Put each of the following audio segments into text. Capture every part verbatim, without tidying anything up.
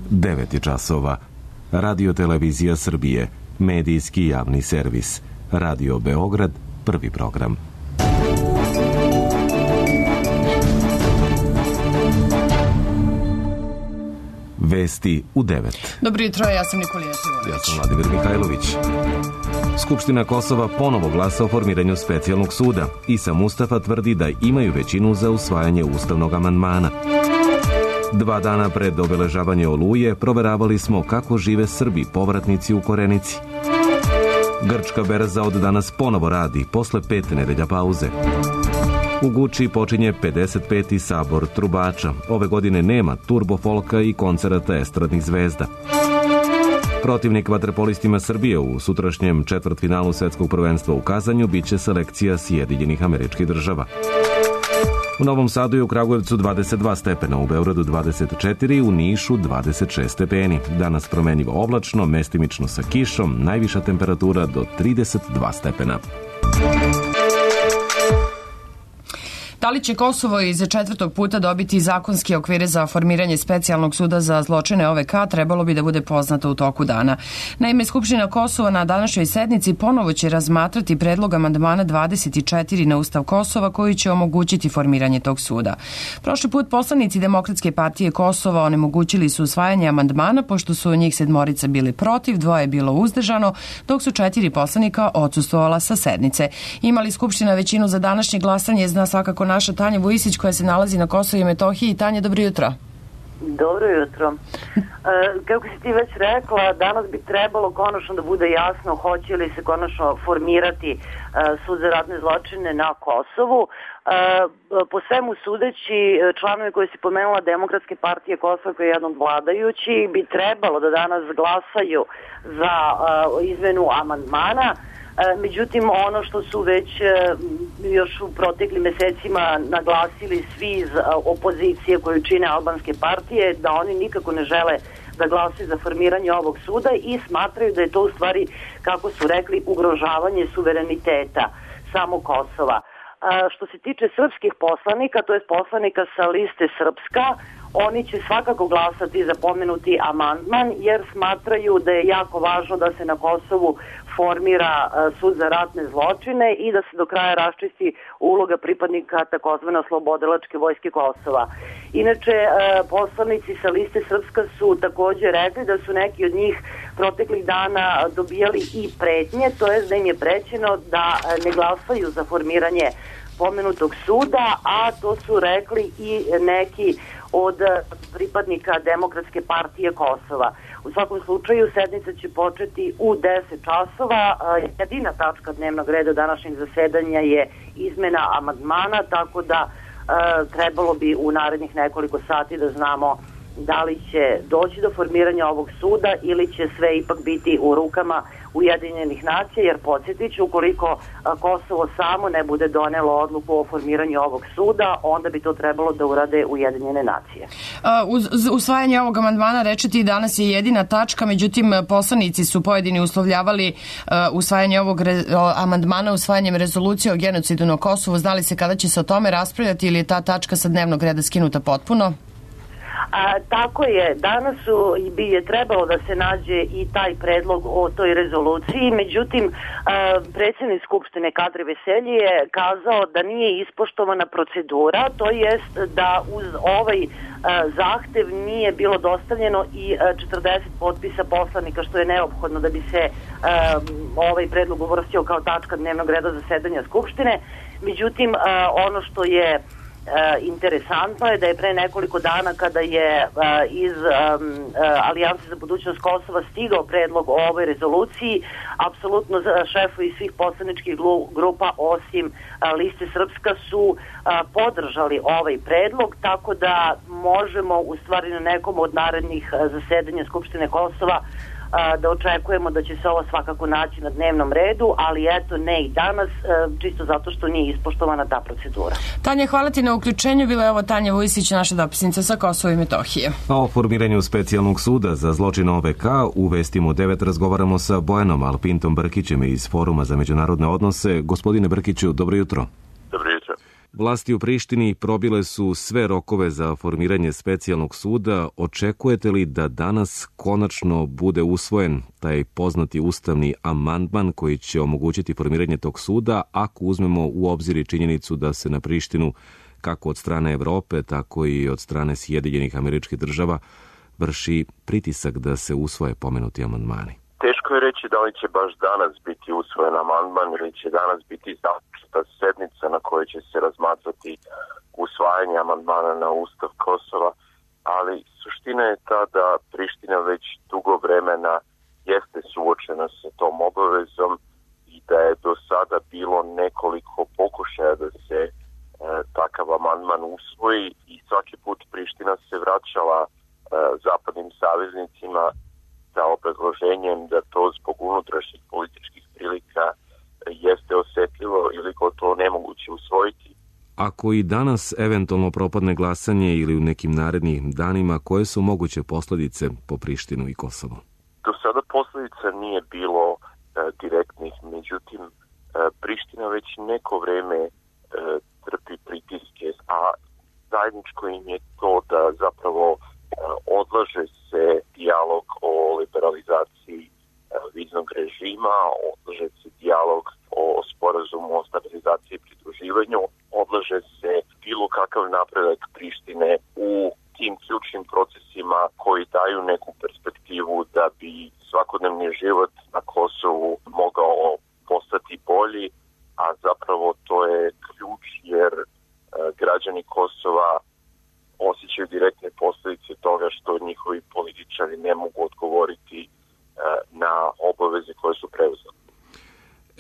devet je časova. Radio Televizija Srbije, medijski javni servis. Radio Beograd, prvi program. Vesti u devet. Dobro jutro, ja sam Nikolija Trivojević. Ja sam Vladimir Mihajlović. Skupština Kosova ponovo glasa o formiranju specijalnog suda. Isa Mustafa tvrdi da imaju većinu za usvajanje ustavnog amandmana. Dva dana pred obeležavanje Oluje proveravali smo kako žive Srbi povratnici u Korenici. Grčka berza od danas ponovo radi posle pet nedelja pauze. U Guči počinje pedeset peti sabor trubača. Ove godine nema turbofolka i koncerata estradnih zvezda. Protivnik vaterpolistima Srbije u sutrašnjem četvrtfinalu svetskog prvenstva u Kazanju biće selekcija Sjedinjenih Američkih Država. U Novom Sadu i u Kragujevcu dvadeset dva stepena, u Beogradu dvadeset četiri, u Nišu dvadeset šest stepeni. Danas promenljivo oblačno, mestimično sa kišom, najviša temperatura do trideset dva stepena. Da li će Kosovo iz četvrtog puta dobiti zakonske okvire za formiranje specijalnog suda za zločine O V K trebalo bi da bude poznato u toku dana. Naime, Skupština Kosova na današnjoj sednici ponovo će razmatrati predlog amandmana dvadeset četiri na Ustav Kosova koji će omogućiti formiranje tog suda. Prošli put poslanici Demokratske partije Kosova onemogućili su usvajanje amandmana pošto su njih sedmorica bili protiv, dvoje je bilo uzdržano, dok su četiri poslanika odsustvovala sa sednice. Imali Skupština većinu za današnje glasanje, zna svakako naša Tanja Vujisić koja se nalazi na Kosovu i Metohiji. Tanja, dobro jutro. Dobro jutro. E, kako si ti već rekla, danas bi trebalo konačno da bude jasno hoće li se konačno formirati e, sud za ratne zločine na Kosovu. E, po svemu sudeći, članovi koji si pomenula Demokratske partije Kosova koji je jedan od vladajući bi trebalo da danas glasaju za e, izmenu amandmana. Međutim, ono što su već još u proteklim mesecima naglasili svi iz opozicije koju čine albanske partije, da oni nikako ne žele da glasaju za formiranje ovog suda i smatraju da je to u stvari, kako su rekli, ugrožavanje suvereniteta samog Kosova. Što se tiče srpskih poslanika, to je poslanika sa liste Srpska, oni će svakako glasati za pomenuti amandman jer smatraju da je jako važno da se na Kosovu formira sud za ratne zločine i da se do kraja raščisti uloga pripadnika takozvane oslobodilačke vojske Kosova. Inače, poslanici sa liste Srpska su također rekli da su neki od njih proteklih dana dobijali i pretnje, to je da im je prećeno da ne glasaju za formiranje pomenutog suda, a to su rekli i neki od pripadnika Demokratske partije Kosova. U svakom slučaju, sednica će početi u deset časova. Jedina tačka dnevnog reda današnjeg zasedanja je izmena amandmana, tako da e, trebalo bi u narednih nekoliko sati da znamo da li će doći do formiranja ovog suda ili će sve ipak biti u rukama Ujedinjenih nacija, jer podsjetit ću, ukoliko Kosovo samo ne bude donelo odluku o formiranju ovog suda, onda bi to trebalo da urade Ujedinjene nacije. Uz usvajanje ovog amandmana, rečeti, danas je jedina tačka, međutim poslanici su pojedini uslovljavali usvajanje ovog amandmana usvajanjem rezolucije o genocidu na Kosovu. Znali se kada će se o tome raspravljati ili je ta tačka sa dnevnog reda skinuta potpuno? A, tako je, danas su, bi je trebalo da se nađe i taj predlog o toj rezoluciji, međutim a, predsjednik Skupštine Kadri Veselji je kazao da nije ispoštovana procedura, to jest da uz ovaj a, zahtev nije bilo dostavljeno i a, četrdeset potpisa poslanika, što je neophodno da bi se a, ovaj predlog uvrstio kao tačka dnevnog reda zasedanja Skupštine. Međutim, a, ono što je E, interesantno je da je pre nekoliko dana kada je e, iz e, Alijanse za budućnost Kosova stigao predlog o ovoj rezoluciji, apsolutno šefovi svih poslaničkih grupa osim e, liste Srpska su e, podržali ovaj predlog, tako da možemo u stvari na nekom od narednih zasedanja Skupštine Kosova da očekujemo da će se ovo svakako naći na dnevnom redu, ali eto ne i danas, čisto zato što nije ispoštovana ta procedura. Tanja, hvala ti na uključenju. Bila je ovo Tanja Vujisić, naša dopisnica sa Kosova i Metohije. A o formiranju specijalnog suda za zločin O V K u Vestima u devet razgovaramo sa Bojanom Alpintom Brkićem iz Foruma za međunarodne odnose. Gospodine Brkiću, dobro jutro. Dobro jutro. Vlasti u Prištini probile su sve rokove za formiranje specijalnog suda. Očekujete li da danas konačno bude usvojen taj poznati ustavni amandman koji će omogućiti formiranje tog suda, ako uzmemo u obzir i činjenicu da se na Prištinu, kako od strane Evrope, tako i od strane Sjedinjenih Američkih Država, vrši pritisak da se usvoje pomenuti amandmani? Teško je reći da li će baš danas biti usvojen amandman ili će danas biti započeta sednica na kojoj će se razmatrati usvajanje amandmana na Ustav Kosova, ali suština je ta da Priština već dugo vremena jeste suočena sa tom obavezom i da je do sada bilo nekoliko pokušaja da se e, takav amandman usvoji i svaki put Priština se vraćala e, zapadnim saveznicima sa obrazloženjem da to zbog unutrašnjih političkih prilika jeste osetljivo ili gotovo nemoguće usvojiti. Ako i danas eventualno propadne glasanje ili u nekim narednim danima, koje su moguće posledice po Prištinu i Kosovo? Do sada posledica nije bilo e, direktnih, međutim e, Priština već neko vreme e, trpi pritiske, a zajedničko im je to da zapravo e, odlaže se dijalog o liberalizaciji e, viznog režima, odlaže se dijalog o sporazumu o stabilizaciji i pridruživanju, odlaže se bilo kakav napredak Prištine u tim ključnim procesima koji daju neku perspektivu da bi svakodnevni život na Kosovu mogao postati bolji, a zapravo to je ključ jer e, građani Kosova osjećaju direktne posljedice toga što njihovi političari ne mogu odgovoriti e, na obaveze koje su preuzeli.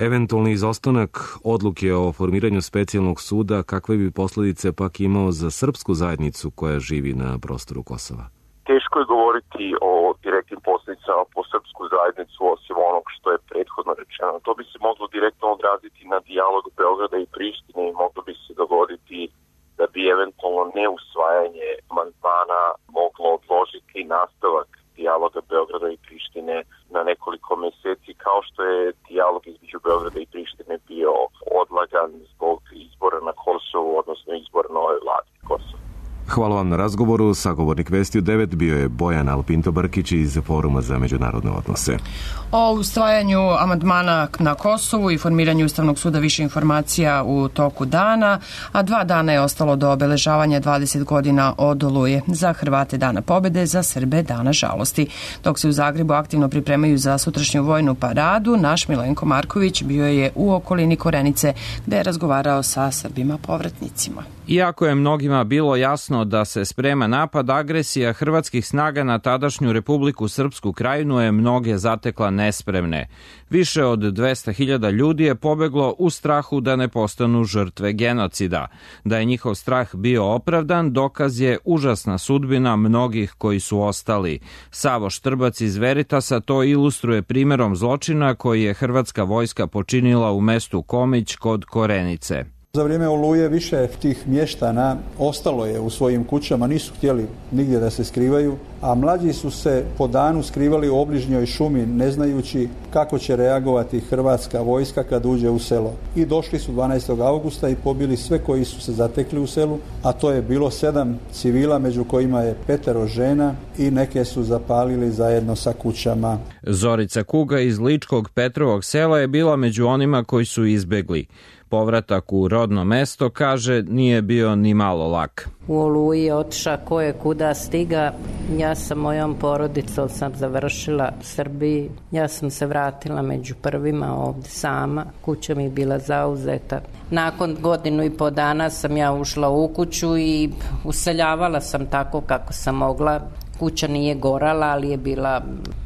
Eventualni izostanak odluke o formiranju specijalnog suda, kakve bi posljedice pak imao za srpsku zajednicu koja živi na prostoru Kosova? Teško je govoriti o direktnim posljedicama po srpsku zajednicu osim onog što je prethodno rečeno. To bi se moglo direktno odraziti na dijalog Beograda i Prištine i moglo bi se dogoditi da bi eventualno neusvajanje amandmana moglo odložiti nastavak dijaloga Beograda i Prištine na nekoliko mjeseci, kao što je dijalog između Beograda i Prištine bio odlagan zbog izbora na Kosovu, odnosno izbora nove vlade Kosova. Hvala vam na razgovoru. Sagovornik Vesti u devet bio je Bojan Alpinto Brkić iz Foruma za međunarodne odnose. O usvajanju amandmana na Kosovu i formiranju Ustavnog suda više informacija u toku dana, a dva dana je ostalo do obeležavanja dvadeset godina od Oluje. Za Hrvate dana pobede, za Srbe dana žalosti. Dok se u Zagrebu aktivno pripremaju za sutrašnju vojnu paradu, naš Milenko Marković bio je u okolini Korenice gde je razgovarao sa Srbima povratnicima. Iako je mnogima bilo jasno da se sprema napad, agresija hrvatskih snaga na tadašnju Republiku Srpsku Krajinu je mnoge zatekla nespremne. Više od dvesta hiljada ljudi je pobeglo u strahu da ne postanu žrtve genocida. Da je njihov strah bio opravdan, dokaz je užasna sudbina mnogih koji su ostali. Savo Štrbac iz Veritasa to ilustruje primjerom zločina koji je hrvatska vojska počinila u mestu Komić kod Korenice. Za vrijeme Oluje više tih mještana ostalo je u svojim kućama, nisu htjeli nigdje da se skrivaju, a mlađi su se po danu skrivali u obližnjoj šumi ne znajući kako će reagovati hrvatska vojska kad uđe u selo. I došli su dvanaestog augusta i pobili sve koji su se zatekli u selu, a to je bilo sedam civila, među kojima je petero žena i neke su zapalili zajedno sa kućama. Zorica Kuga iz Ličkog Petrovog sela je bila među onima koji su izbegli. Povratak u rodno mesto, kaže, nije bio ni malo lak. U Oluji otiša ko je kuda stiga. Ja sa mojom porodicom sam završila u Srbiji. Ja sam se vratila među prvima ovdje sama. Kuća mi je bila zauzeta. Nakon godinu i po dana sam ja ušla u kuću i useljavala sam tako kako sam mogla. Kuća nije gorala, ali je bila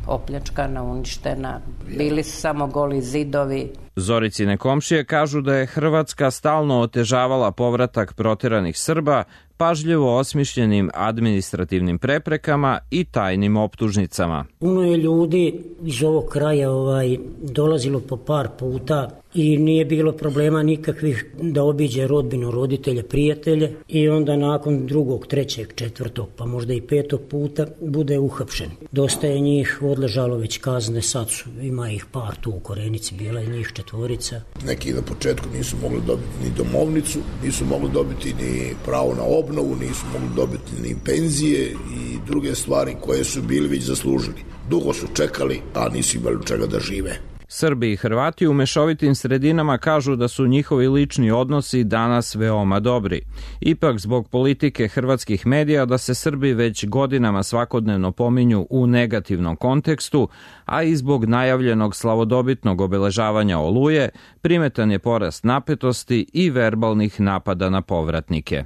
opljačkana, uništena. Bili su samo goli zidovi. Zoricine komšije kažu da je Hrvatska stalno otežavala povratak proteranih Srba, pa pažljivo osmišljenim administrativnim preprekama i tajnim optužnicama. Puno je ljudi iz ovog kraja ovaj, dolazilo po par puta i nije bilo problema nikakvih da obiđe rodbinu, roditelje, prijatelje i onda nakon drugog, trećeg, četvrtog, pa možda i petog puta bude uhapšen. Dosta je njih odležalo već kazne, sad su, ima ih par tu u Korenici, bila je njih četvorica. Neki na početku nisu mogli dobiti ni domovnicu, nisu mogli dobiti ni pravo na obnovu, nisu mogli dobiti ni penzije i druge stvari koje su bili već zaslužili. Dugo su čekali, a nisu imali čega da žive. Srbi i Hrvati u mešovitim sredinama kažu da su njihovi lični odnosi danas veoma dobri. Ipak zbog politike hrvatskih medija da se Srbi već godinama svakodnevno pominju u negativnom kontekstu, a i zbog najavljenog slavodobitnog obeležavanja Oluje, primetan je porast napetosti i verbalnih napada na povratnike.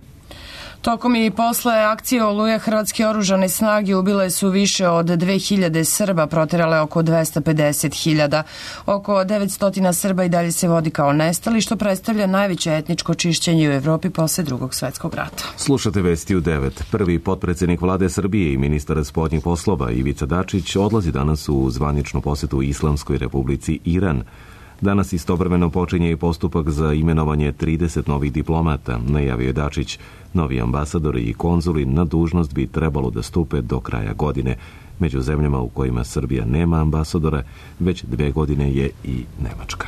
Tokom i posle akcije Oluja hrvatske oružane snage ubile su više od dve hiljade Srba, proterale oko dvesta pedeset hiljada. Oko devetsto Srba i dalje se vodi kao nestali, što predstavlja najveće etničko čišćenje u Evropi posle drugog svetskog rata. Slušate vesti u devet. Prvi potpredsednik vlade Srbije i ministar spoljnih poslova Ivica Dačić odlazi danas u zvaničnu posetu Islamskoj republici Iran. Danas istovremeno počinje i postupak za imenovanje trideset novih diplomata, najavio je Dačić. Novi ambasadori i konzuli na dužnost bi trebalo da stupe do kraja godine. Među zemljama u kojima Srbija nema ambasadora, već dve godine je i Nemačka.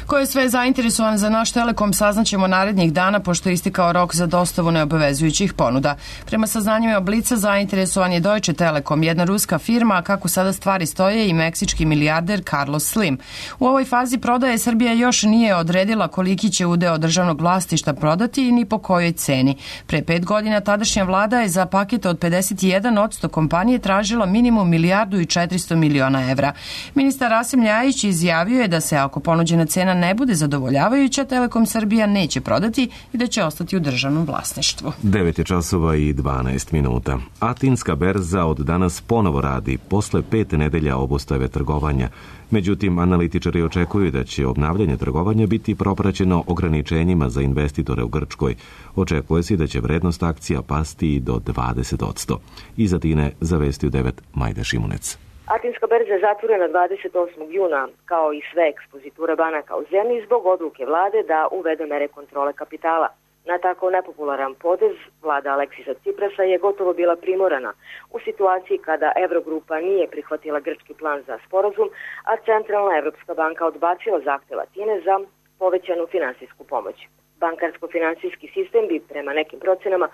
Ko je sve zainteresovan za naš Telekom saznaćemo narednih dana, pošto je istekao rok za dostavu neobavezujućih ponuda. Prema saznanjima Blica zainteresovan je Deutsche Telekom, jedna ruska firma, a kako sada stvari stoje i meksički milijarder Carlos Slim. U ovoj fazi prodaje Srbija još nije odredila koliki će udeo državnog vlasništva prodati i ni po kojoj ceni. Pre pet godina tadašnja vlada je za paket od pedeset jedan posto kompanije tražila minimum milijardu i četiristo miliona evra. Ministar Rasim Ljajić izjavio je da se ako ponuđena cena ne bude zadovoljavajuća, Telekom Srbija neće prodati i da će ostati u državnom vlasništvu. devet je časova i dvanaest minuta. Atinska berza od danas ponovo radi posle pet nedelja obustave trgovanja. Međutim, analitičari očekuju da će obnavljanje trgovanja biti propraćeno ograničenjima za investitore u Grčkoj. Očekuje se da će vrednost akcija pasti do dvadeset posto. Iz Atine za vesti u devet Majda Šimunec. Atinska berza je zatvorena dvadeset osmog juna, kao i sve ekspoziture banaka u zemlji, zbog odluke vlade da uvede mere kontrole kapitala. Na tako nepopularan potez vlada Aleksisa Ciprasa je gotovo bila primorana u situaciji kada Evrogrupa nije prihvatila grčki plan za sporazum, a Centralna Evropska banka odbacila zahtev Atine za povećanu finansijsku pomoć. Bankarsko-finansijski sistem bi prema nekim procenama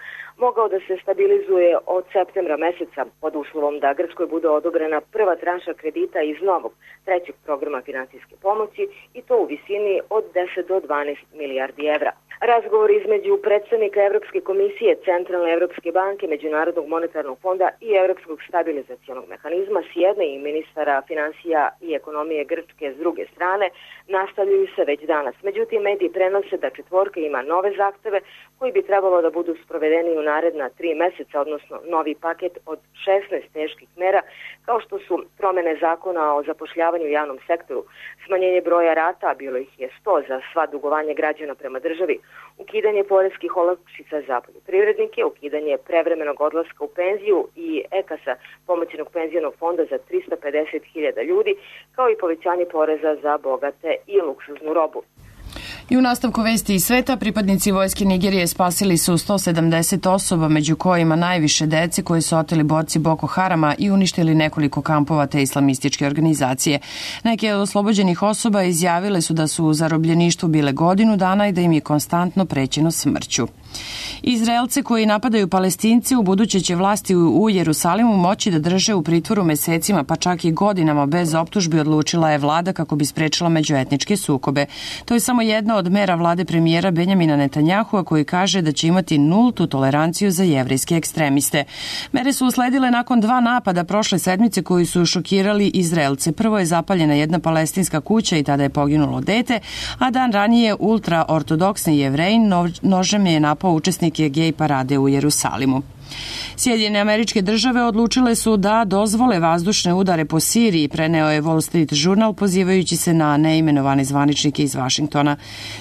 mogao da se stabilizuje od septembra meseca pod uslovom da Grčkoj bude odobrena prva tranša kredita iz novog trećeg programa finansijske pomoći i to u visini od deset do dvanaest milijardi evra. Razgovor između predstavnika Evropske komisije, Centralne Evropske banke, Međunarodnog monetarnog fonda i Evropskog stabilizacionog mehanizma s jedne i ministara finansija i ekonomije Grčke s druge strane nastavljaju se već danas. Međutim, mediji prenose da četvorka ima nove zahteve koji bi trebalo da budu sprovedeni u naredna tri meseca, odnosno novi paket od šesnaest teških mera, kao što su promene zakona o zapošljavanju u javnom sektoru, smanjenje broja rata, bilo ih je sto za sva dugovanja građana prema državi, ukidanje poreskih olakšica za poljoprivrednike, ukidanje prevremenog odlaska u penziju i ekasa, pomoćnog penzionog fonda za trista pedeset hiljada ljudi, kao i povećanje poreza za bogate i luksuznu robu. I u nastavku vesti iz sveta, pripadnici vojske Nigerije spasili su sto sedamdeset osoba, među kojima najviše dece koje su oteli borci Boko Harama i uništili nekoliko kampova te islamističke organizacije. Neke od oslobođenih osoba izjavile su da su u zarobljeništvu bile godinu dana i da im je konstantno prećeno smrću. Izraelce koji napadaju Palestince u buduće će vlasti u Jerusalimu moći da drže u pritvoru mesecima, pa čak i godinama bez optužbi, odlučila je vlada kako bi sprečila međuetničke sukobe. To je samo jedna od mera vlade premijera Benjamina Netanjahua, koji kaže da će imati nultu toleranciju za jevrejske ekstremiste. Mere su usledile nakon dva napada prošle sedmice koji su šokirali Izraelce. Prvo je zapaljena jedna palestinska kuća i tada je poginulo dete, a dan ranije ultraortodoksni Jevrejin nožem je napao Papa učesnike gej parade u Jerusalimu. Sjedinjene Američke Države odlučile su da dozvole vazdušne udare po Siriji, preneo je Wall Street Journal pozivajući se na neimenovane zvaničnike iz Vašingtona.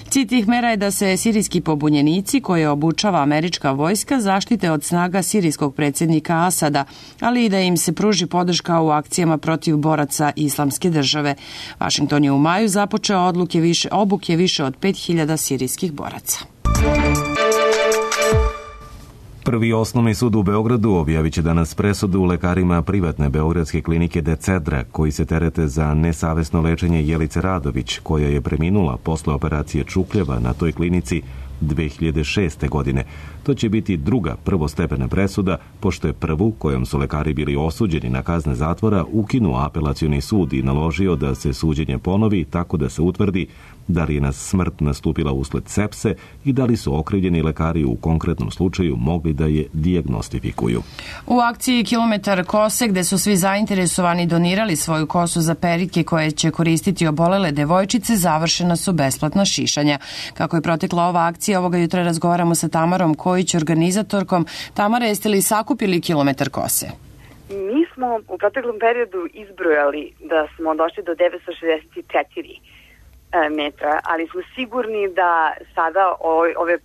Cilj tih mera je da se sirijski pobunjenici koje obučava američka vojska zaštite od snaga sirijskog predsjednika Asada, ali i da im se pruži podrška u akcijama protiv boraca Islamske države. Vašington je u maju započeo odluke više, obuke više od pet hiljada sirijskih boraca. Prvi osnovni sud u Beogradu objavit će danas presudu lekarima privatne beogradske klinike Decedra, koji se terete za nesavesno lečenje Jelice Radović, koja je preminula posle operacije čukljeva na toj klinici dve hiljade šeste. godine. To će biti druga prvostepena presuda, pošto je prvu, kojom su lekari bili osuđeni na kazne zatvora, ukinuo apelacioni sud i naložio da se suđenje ponovi tako da se utvrdi da li je na smrt nastupila usled sepse i da li su okrivljeni lekari u konkretnom slučaju mogli da je dijagnostifikuju. U akciji Kilometar kose, gde su svi zainteresovani donirali svoju kosu za perike koje će koristiti obolele devojčice, završena su besplatna šišanja. Kako je protekla ova akcija, ovoga jutra razgovaramo sa Tamarom Kojić, organizatorkom. Tamara, jeste li sakupili Kilometar kose? Mi smo u proteklom periodu izbrojali da smo došli do devetsto šezdeset četiri metra, ali smo sigurni da sada ove, ove e,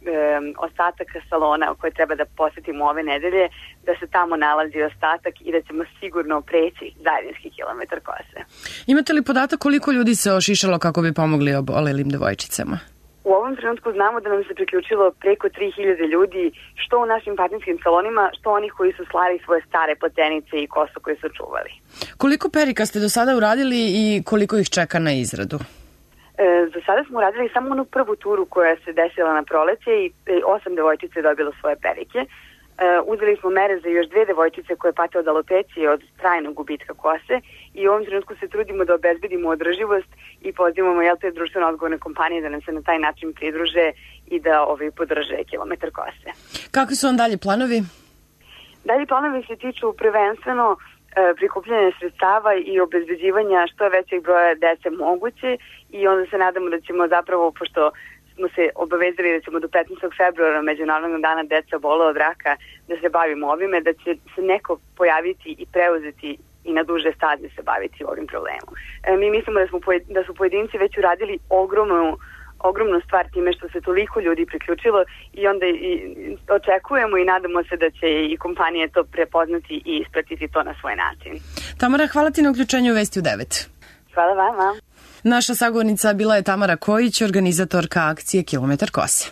ostataka salona koje treba da posetimo ove nedelje, da se tamo nalazi ostatak i da ćemo sigurno preći zajednički kilometar kose. Imate li podatak koliko ljudi se ošišalo kako bi pomogli obolelim devojčicama? U ovom trenutku znamo da nam se priključilo preko tri hiljade ljudi, što u našim partnerskim salonima, što onih koji su slali svoje stare platenice i kosu koje su čuvali. Koliko perika ste do sada uradili i koliko ih čeka na izradu? E, za sada smo uradili samo onu prvu turu koja se desila na proleće i osam devojčice je dobilo svoje perike. E, uzeli smo mere za još dve devojčice koje pate od alopecije, od trajnog gubitka kose i u ovom trenutku se trudimo da obezbedimo održivost i pozivamo jel te društveno odgovorne kompanije da nam se na taj način pridruže i da ovi podrže kilometar kose. Kakvi su vam dalje planovi? Dalje planovi se tiču prvenstveno prikupljanje sredstava i obezbeđivanja što je većeg broja dece moguće i onda se nadamo da ćemo zapravo, pošto smo se obavezali da ćemo do petnaestog februara, Međunarodnog dana deca obole od raka, da se bavimo ovime, da će se neko pojaviti i preuzeti i na duže staze se baviti ovim problemom. E, mi mislimo da, smo, da su pojedinci već uradili ogromnu ogromnu stvar time što se toliko ljudi priključilo i onda i očekujemo i nadamo se da će i kompanije to prepoznati i ispratiti to na svoj način. Tamara, hvala ti na uključenju u Vesti u devet. Hvala vama. Naša sagovornica bila je Tamara Kojić, organizatorka akcije Kilometar kose.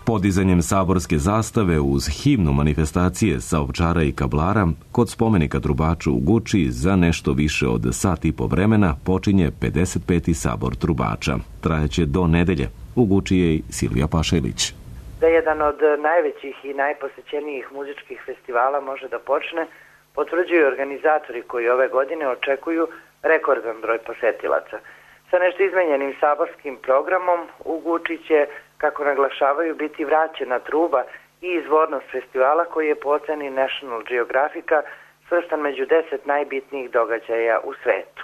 Podizanjem saborske zastave uz himnu manifestacije sa Ovčara i Kablara kod spomenika Trubaču u Guči za nešto više od sat i po vremena počinje pedeset peti sabor Trubača. Trajeće do nedelje. U Guči je i Silvija Pašelić. Da jedan od najvećih i najposećenijih muzičkih festivala može da počne, potvrđuju organizatori koji ove godine očekuju rekordan broj posetilaca. Sa nešto izmenjenim saborskim programom u Guči će, kako naglašavaju, biti vraćena truba i izvornost festivala koji je po oceni National Geographica svrstan među deset najbitnijih događaja u svetu.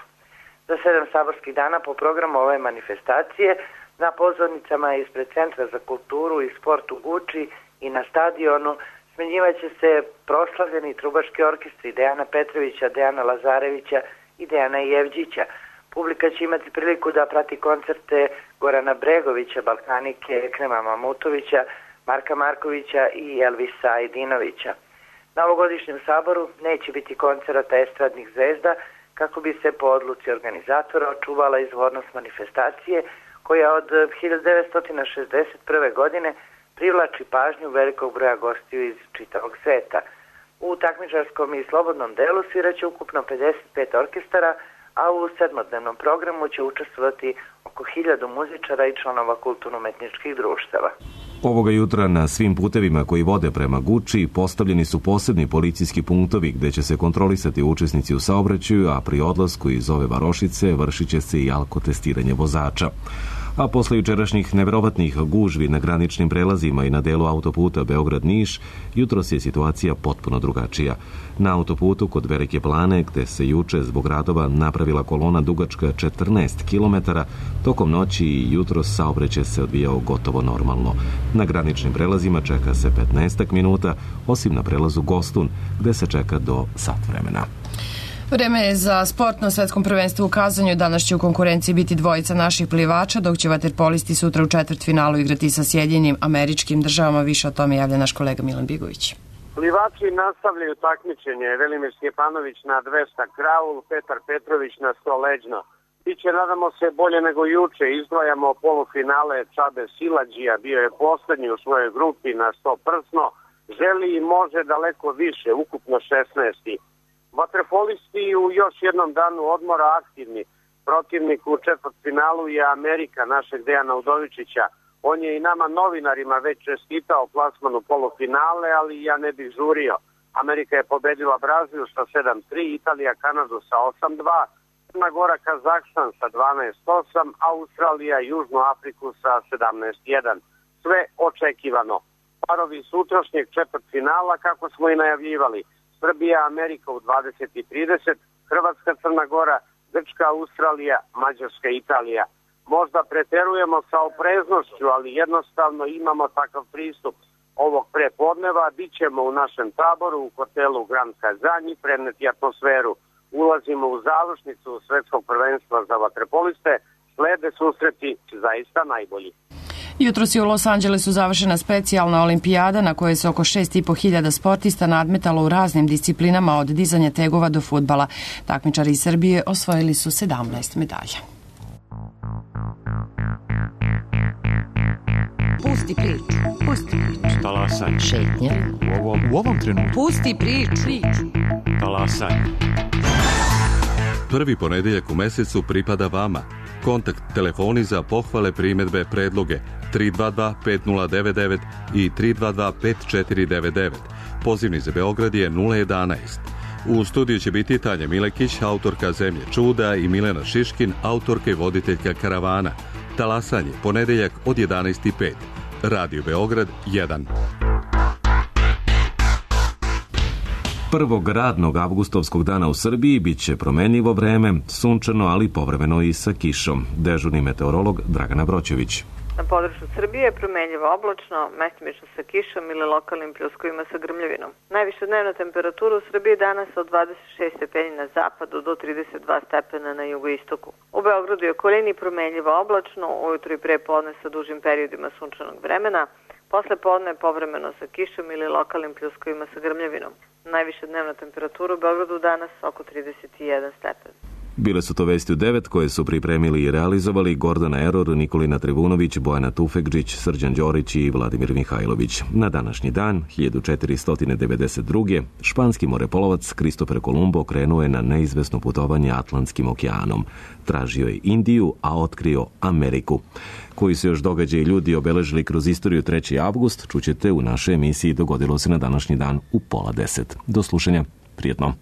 Za sedam saborskih dana po programu ove manifestacije na pozornicama ispred Centra za kulturu i sport u Guči i na stadionu smenjivaće se proslavljeni trubački orkestri Dejana Petrovića, Dejana Lazarevića i Dejana Jevđića. Publika će imati priliku da prati koncerte Gorana Bregovića, Balkanike, Ekrema Mamutovića, Marka Markovića i Elvisa Ajdinovića. Na ovogodišnjem saboru neće biti koncerata estradnih zvezda kako bi se po odluci organizatora očuvala izvornost manifestacije koja od hiljadu devetsto šezdeset prve. godine privlači pažnju velikog broja gostiju iz čitavog sveta. U takmičarskom i slobodnom delu sviraće ukupno pedeset pet orkestara, a u sedmodnevnom programu će učestvovati oko hiljadu muzičara i članova kulturno-umetničkih društava. Ovoga jutra na svim putevima koji vode prema Guči postavljeni su posebni policijski punktovi gde će se kontrolisati učesnici u saobraćaju, a pri odlasku iz ove varošice vršit će se i alkotestiranje vozača. A posle jučerašnjih neverovatnih gužvi na graničnim prelazima i na delu autoputa Beograd-Niš, jutros je situacija potpuno drugačija. Na autoputu kod Velike Plane, gde se juče zbog radova napravila kolona dugačka četrnaest kilometara, tokom noći i jutros saobraćaj se odvijao gotovo normalno. Na graničnim prelazima čeka se petnaest minuta, osim na prelazu Gostun, gde se čeka do sat vremena. Vreme je za sport na svetskom prvenstvu u Kazanju. Danas će u konkurenciji biti dvojica naših plivača, dok će vaterpolisti sutra u četvrtfinalu igrati sa Sjedinjenim Američkim Državama. Više o tome javlja naš kolega Milan Bigović. Plivači nastavljaju takmičenje. Velimir Stjepanović na dvesta kraul, Petar Petrović na sto leđno. Biće, nadamo se, bolje nego juče. Izdvajamo polufinale Čabe Silađija, bio je poslednji u svojoj grupi na sto prsno. Želi i može daleko više, ukupno šesnaesti. Vaterpolisti u još jednom danu odmora aktivni. Protivnik u četvrtfinalu je Amerika, našeg Dejana Udovičića. On je i nama novinarima već čestitao plasmanu polufinale, ali ja ne bih žurio. Amerika je pobedila Brazil sa sedam tri, Italija Kanadu sa osam dva, Crna Gora Kazahstan sa dvanaest osam, Australija Južnu Afriku sa sedamnaest jedan. Sve očekivano. Parovi sutrašnjeg četvrtfinala, kako smo i najavljivali. Srbija, Amerika u dvadeset i trideset, Hrvatska, Crna Gora, Grčka, Australija, Mađarska, Italija. Možda preterujemo sa opreznošću, ali jednostavno imamo takav pristup. Ovog prepodneva bit ćemo u našem taboru u hotelu Grand Kazanj i preneti atmosferu. Ulazimo u završnicu svetskog prvenstva za vaterpoliste, slede susreti zaista najbolji. Jutros je u Los Angelesu završena specijalna olimpijada na kojoj se oko šest i po hiljada sportista nadmetalo u raznim disciplinama od dizanja tegova do fudbala. Takmičari iz Srbije osvojili su sedamnaest medalja. Pusti priču, pusti priču. Talasaj. Šetnja. U ovom, u ovom trenutku. Pusti priču. Talasaj. Prvi ponedeljak u mesecu pripada vama. Kontakt telefoni za pohvale, primedbe, predloge tri dva dva pet nula devet devet i tri dva dva pet četiri devet devet. Pozivni za Beograd je nula jedanaest. U studiju će biti Tanja Milekić, autorka Zemlje čuda, i Milena Šiškin, autorka i voditeljka Karavana. Talasanje, ponedeljak od jedanaest i pet. Radio Beograd jedan. Prvog radnog avgustovskog dana u Srbiji bit će promenljivo vreme, sunčano, ali povremeno i sa kišom. Dežurni meteorolog Dragana Broćević. Na području Srbije je promenljivo oblačno, mestimično sa kišom ili lokalnim pljuskovima sa grmljavinom. Najviša dnevna temperatura u Srbiji danas od dvadeset šest stepeni na zapadu do trideset dva stepena na jugoistoku. U Beogradu i okolini promenljivo oblačno, ujutro i pre podne sa dužim periodima sunčanog vremena, posle podne povremeno sa kišom ili lokalnim pljuskovima sa grmljavinom. Najviša dnevna temperatura u Beogradu danas oko trideset jedan stepen. Bile su to vesti u devet koje su pripremili i realizovali Gordana Eror, Nikolina Trivunović, Bojana Tufekđić, Srđan Đorić i Vladimir Mihajlović. Na današnji dan, hiljadu četiristo devedeset druge. španski morepolovac Kristofer Kolumbo krenuo je na neizvesno putovanje Atlantskim okeanom. Tražio je Indiju, a otkrio Ameriku. Koji su još događaji ljudi obeležili kroz istoriju treći avgust, čućete u našoj emisiji Dogodilo se na današnji dan u pola deset. Do slušanja, prijetno.